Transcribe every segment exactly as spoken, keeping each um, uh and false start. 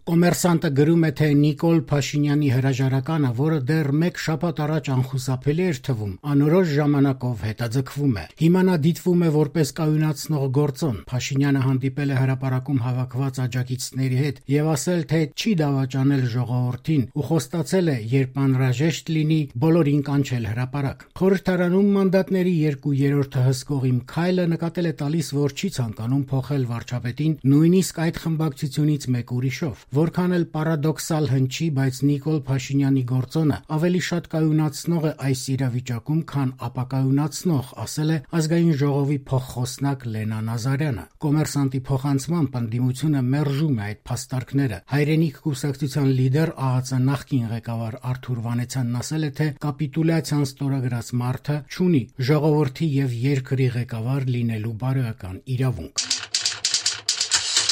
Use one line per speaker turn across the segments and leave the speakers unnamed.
Կոմերսանտը գրում է, թե Նիկոլ Փաշինյանի հրաժարականը, որը դեռ մեկ շաբաթ առաջ անխուսափելի էր թվում, անորոշ ժամանակով հետաձգվում է։ Հիմա նա դիտվում է որպես կայունացնող գործոն։ Փաշինյանը հանդիպել է հրապարակում հավաքված աջակիցների հետ եւ ասել, թե չի դավաճանել ժողովրդին ու խոստացել է, երբ անհրաժեշտ լինի, բոլորին կանչել հրապարակ։ Խորհրդարանում մանդատների երկու երրորդը հսկող Իմ Քայլը նկատել է տալիս, որ չի ցանկանում փոխել վարչապետին, նույնիսկ այդ խմբակցությունից մեկ ուրիշով։ Որքան էլ պարադոքսալ հնչի, բայց Նիկոլ Փաշինյանի գործոնը ավելի շատ կայունացնող է այս իրավիճակում, քան ապակայունացնող, ասել է Ազգային ժողովի փոխխոսնակ Լենա Նազարյանը։ Կոմերսանտի փոխանցմամբ ընդդիմությունը մերժում է այդ փաստարկները։ Հայրենիք կուսակցության լիդեր ԱԱԾ նախկին ղեկավար Արթուր Վանեցյանն ասել է, թե կապիտուլյացիան ստորագրած մարդը չունի ժողովրդի եւ երկրի ղեկավար լինելու բարոյական իրավունք։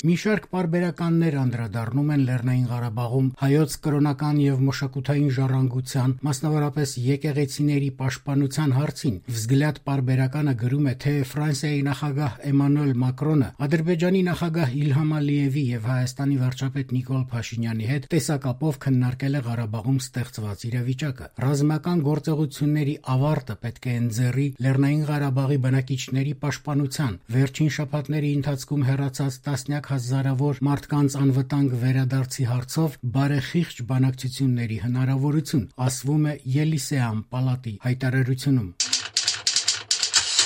Մի շարք պարբերականներ անդրադառնում են Լեռնային Ղարաբաղում հայոց կրոնական եւ մշակութային ժառանգության, մասնավորապես եկեղեցիների պաշտպանության հարցին։ Վզգլյադ պարբերականը գրում է, թե Ֆրանսիայի նախագահ Էմանուել Մակրոնը Ադրբեջանի նախագահ Իլհամ Ալիևի եւ Հայաստանի վարչապետ Նիկոլ Փաշինյանի հետ տեսակապով քննարկել է Ղարաբաղում ստեղծված իրավիճակը։ Ռազմական գործողությունների ավարտը պետք է ընձեռի Լեռնային Ղարաբաղի բնակիչների պաշտպանության, վերջին շաբաթների ընթացքում հեռացած տասնյակ հազարավոր մարդկանց անվտանգ վերադարձի հարցով բարեխիղճ բանակցությունների հնարավորություն, ասվում է Ելիսեան պալատի հայտարարությունում։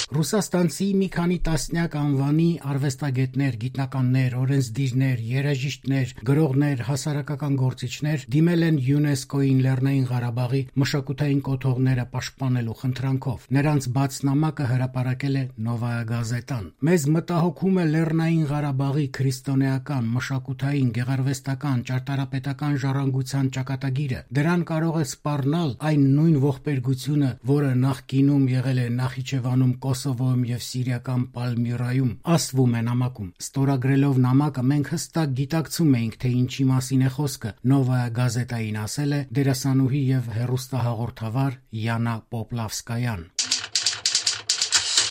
Ռուսաստանցի մի քանի տասնյակ անվանի արվեստագետներ, գիտնականներ, օրենսդիրներ, երաժիշտներ, գրողներ, հասարակական գործիչներ դիմել են ՅՈՒՆԵՍԿՕ-ին Լեռնային Ղարաբաղի մշակութային կոթողները պաշտպանելու խնդրանքով։ Նրանց բաց նամակը հրապարակել է Նովայա Գազետան։ Մեզ մտահոգում է Լեռնային Ղարաբաղի քրիստոնեական, մշակութային, գեղարվեստական, ճարտարապետական ժառանգության ճակատագիրը։ Դրան կարող է սպառնալ այն նույն ողբերգությունը, որը նախկինում եղել է Նախիջևանում, Կոսովոյում եւ Սիրիական Պալմիրայում, ասվում է նամակում։ Ստորագրելով նամակը մենք հստակ գիտակցում էինք, թե ինչի մասին է խոսքը, Նովայա Գազետային ասել է դերասանուհի եւ հեռուստահաղորդավար Յանա Պոպլավսկայան։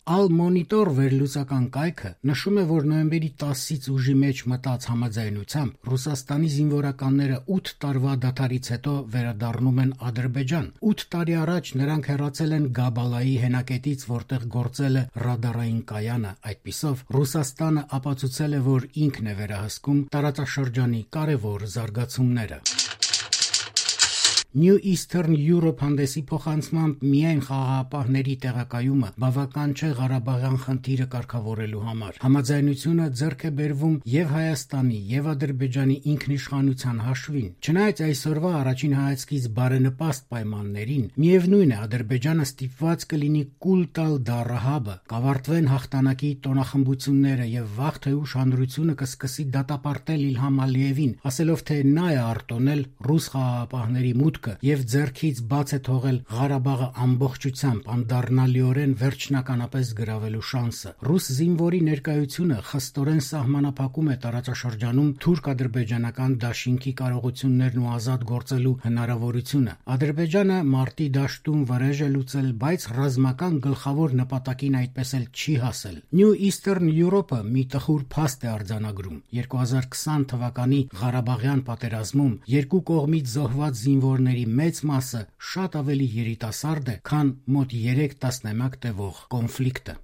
Al-Monitor վերլուծական կայքը նշում է, որ նոյեմբերի տասից ուժի մեջ մտած համաձայնությամբ Ռուսաստանի զինվորականները ութ տարվա դադարից հետո վերադառնում են Ադրբեջան։ ութ տարի առաջ նրանք հեռացել են Գաբալայի հենակետից, որտեղ գործել է ռադարային կայանը։ Այդպիսով Ռուսաստանը ապացուցել է, որ ինքն է վերահսկում տարածաշրջանի կարևոր զարգացումները։ New Eastern Europe հանդեսի փոխանցմամբ միայն խաղաղապահների տեղակայումը բավական չէ Ղարաբաղյան խնդիրը կարգավորելու համար։ Համաձայնությունը ձեռք է բերվում եւ Հայաստանի եւ Ադրբեջանի ինքնիշխանության հաշվին։ Չնայած այսօրվա առաջին հայացքից բարենպաստ պայմաններին, միևնույն է Ադրբեջանը ստիպված կլինի կուլ տալ դառահաբը, կավարտվեն հաղթանակի տոնախմբությունները եւ վաղ թե ուշ հանրությունը կսկսի դատապարտել Իլհամ Ալիևին, ասելով, թե նա է արտոնել ռուս խաղաղապահների մուտքը եւ ձեռքից բաց է թողել Ղարաբաղը ամբողջությամբ անդառնալիորեն վերջնականապես գրավելու շանսը։ Ռուս զինվորի ներկայությունը խստորեն սահմանափակում է տարածաշրջանում թուրք-ադրբեջանական դաշինքի կարողություններն ու ազատ գործելու հնարավորությունը։ Ադրբեջանը մարտի դաշտում վրեժ է լուծել, բայց ռազմական գլխավոր նպատակին այդպես էլ չի հասել։ New Eastern Europe-ը մի տխուր փաստ է արձանագրում։ երկու հազար քսան թվականի Ղարաբաղյան պատերազմում երկու կողմից զոհված զինվորների մեծ մասը շատ ավելի երիտասարդ է, քան մոտ երեք տասնամյակ տևող կոնֆլիկտը։